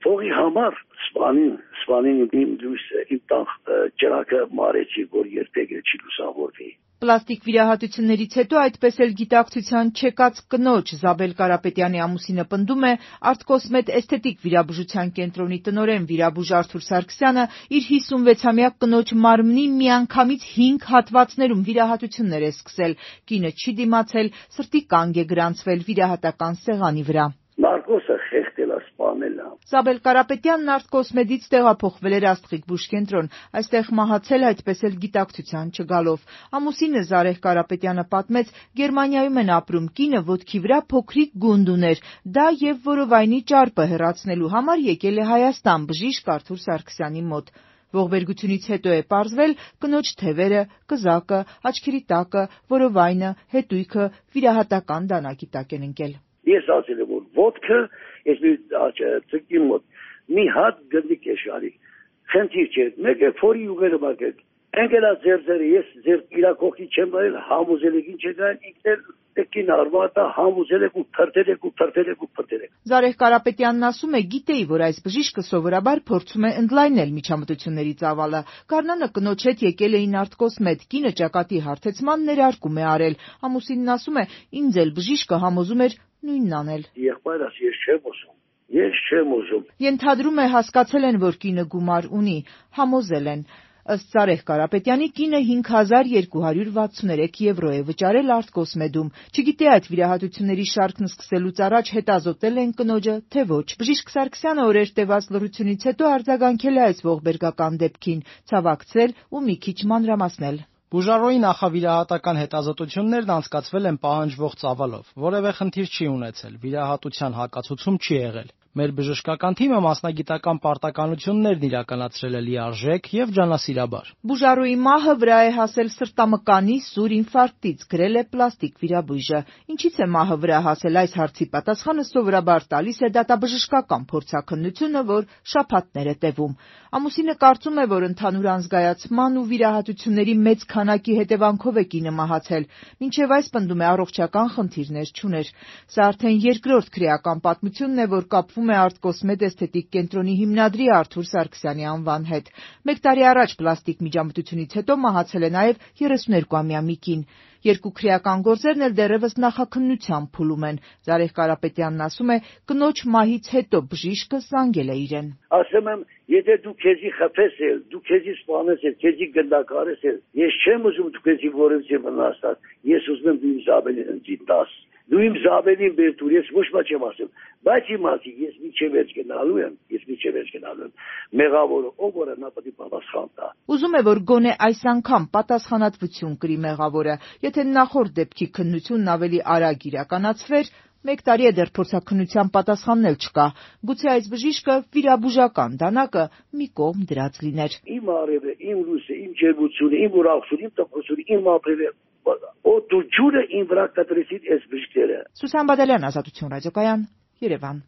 Փողի համար սպանին իմ լույսը, իմ տան ճրակը մարեցի, որ երբեք չի լուսավորվի։ Պլաստիկ վիրահատություններից հետո այդպես էլ գիտակցության չեկած կնոջ Զաբել Կարապետյանի ամուսինը պնդում է, «Արտկոսմեդ» էսթետիկ վիրաբուժության կենտրոնի տնօրեն վիրաբույժ Արթուր Սարգսյանը իր 56-ամյա կնոջ մարմնի միանգամից 5 հատվածներում վիրահատություններ է սկսել։ Կինը չի դիմացել, սրտի կանգ է գրանցվել վիրահատական սեղանի վրա։ Նարկոսը խեղդել է, սպանել է։ Զաբել Կարապետյանն «Արտկոսմեդից» տեղափոխվել էր Աստղիկ բուժկենտրոն, այստեղ մահացել այդպես էլ գիտակցության չգալով։ Ամուսինը Զարեհ Կարապետյանը պատմեց, Գերմանիայում են ապրում, կինը ոտքի վրա փոքրիկ գունդ ուներ, դա եւ որովայնի ճարպը հեռացնելու համար եկել է Հայաստան բժիշկ Արթուր Սարգսյանի մոտ։ Ողբերգությունից հետո է պարզվել կնոջ թևերը, կզակը, աչքերի տակը, որովայնը, հետույքը վիրահատական դանակի տակ են ընկել։ Ես ասել եմ, որ ոտքը, ես մի ծկի մոտ, մի հատ գնդիկ է շարի, խնդիր չէ, մեկ է փորի ուղերը բակեք, ընկելա ձերձերը, ես ձեր իրակողքի չեմ նայել, համոզել եք ինչ է գային, ինքնել տեկին արվատա, համոզել եք ու փրտել եք։ Զարեհ Կարապետյանն ասում է, գիտեի, որ այս բժիշկը սովորաբար փորձում է ընդլայնել միջամտությունների ծավալը։ Գարնանը կնոջ հետ եկել էին «Արտկոսմեդ», կինը ճակատի հարթեցման ներարկում է արել։ Ամուսինն ասում է, ինձ էլ բժիշկը համոզում էր նույնն անել։ Եղբայրս ես չեմ ուզում։ Ենթադրում է, հասկացել են, որ կինը գումար ունի, համոզել են։ Ըստ Զարեհ Կարապետյանի, կինը 5263 եվրո է վճարել «Արտկոսմեդում»։ Չգիտե այդ վիրահատությունների շարքն սկսելուց առաջ հետազոտել են կնոջը, թե ոչ։ Բժիշկ Սարգսյանը օրեր տևած լռությունից հետո արձագանքել է այս ողբերգական դեպքին, ցավակցել ու մի քիչ մանրամասնել։ Բուժարոյի նախավիրահատական հետազոտություններն անցկացվել են պահանջվող ծավալով, որևէ խնդիր չի ունեցել, վիրահատության հակացուցում չի եղել։ Մեր բժշկական թիմը մասնագիտական պարտականություններն իրականացրել է լիարժեք եւ ջանասիրաբար։ Բուժարոյի մահը վրա է հասել սրտամկանի սուր ինֆարկտից, գրել է պլաստիկ վիրաբույժը։ Ինչից է մահը վրա հասել, այս հարցի պատասխանը սովորաբար տալիս է դատաբժշկական փորձաքննությունը, որ շաբաթներ է տևում։ Ամուսինը կարծում է, որ ընդհանուր անզգայացման ու վիրահատությունների մեծ քանակի հետևանքով է կինը մահացել, մինչև այս պնդում է առողջական խնդիրներ չուներ։ Սա արդեն երկրորդ քրեական պատմությունն է, որ կապվում է «Արտկոսմեդ» էսթետիկ կենտրոնի հիմնադրի Արթուր Սարգսյանի անվան հետ։ 1 տարի առաջ պլաստիկ միջամտությունից հետո մահացել է նաև 32-ամյա մի կին։ Երկու քրեական գործերն էլ դեռևս նախաքննության փուլում են։ Զարեհ Կարապետյանն ասում է, կնոջ մահից հետո բժիշկը զանգել է իրեն։ Ասում եմ, եթե դու քեզի խփես էլ, դու քեզի սպանես էլ, քեզի գնդակարես էլ, ես չեմ ուզում դու քեզի որևէ վնասած, ես ուզում եմ դու իմ Զաբելին ընձի տաս։ Դու իմ Զաբելին բեր դուր, ես ոչ մի չեմ ասում, բայց իմացի, ես միջև վերջ գնալու եմ, մեղավորը ով որը նա պետք է պատասխան տա։ Ուզում է, որ գոնե այս անգամ պատասխանատվություն կրի մեղավորը, եթե նախորդ դեպքի քննությունն ավելի արագ իրականացվեր, 1 տարի է դեռ փորձաքննության պատասխանն էլ չկա։ Գուցե այս բժիշկը վիրաբուժական դանակը մի կողմ դրած լիներ։ Իմ արևը, իմ լույսը, իմ ջերմությունը, իմ ուրախությունը, իմ տխրությունը, իմ ապրելը, օդու ջուրը իմ վրա կտրեցին այս բժիշկները։ Սուսան Բադալյան, Ազատություն ռադիոկայան, Երևան։